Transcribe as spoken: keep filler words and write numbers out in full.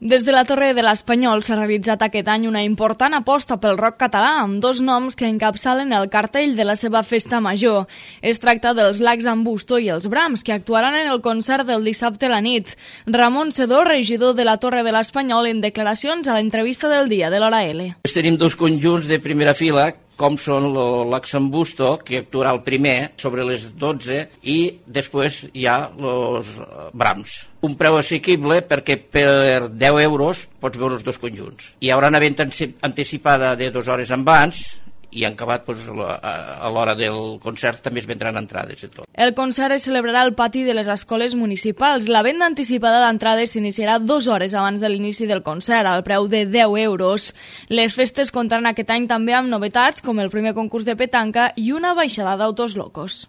Des de la Torre de l'Espanyol s'ha realitzat aquest any una important aposta pel rock català amb dos noms que encapçalen el cartell de la seva festa major. Es tracta dels Lacs en Busto i els Brams, que actuaran en el concert del dissabte a la nit. Ramon Sedó, regidor de la Torre de l'Espanyol, en declaracions a l'entrevista del dia de l'Hora L. Tenim dos conjunts de primera fila, com són l'Lacs en Busto, que actuarà el primer sobre les dotze, i després hi ha els Brams. Un preu assequible perquè per deu euros pots veure els dos conjunts. Hi haurà una venda anticipada de dues hores abans i han acabat doncs, a l'hora del concert també es vendran entrades i tot. El concert es celebrarà al pati de les escoles municipals. La venda anticipada d'entrades s'iniciarà dues hores abans de l'inici del concert, al preu de deu euros. Les festes comptaran aquest any també amb novetats com el primer concurs de petanca i una baixada d'autos locos.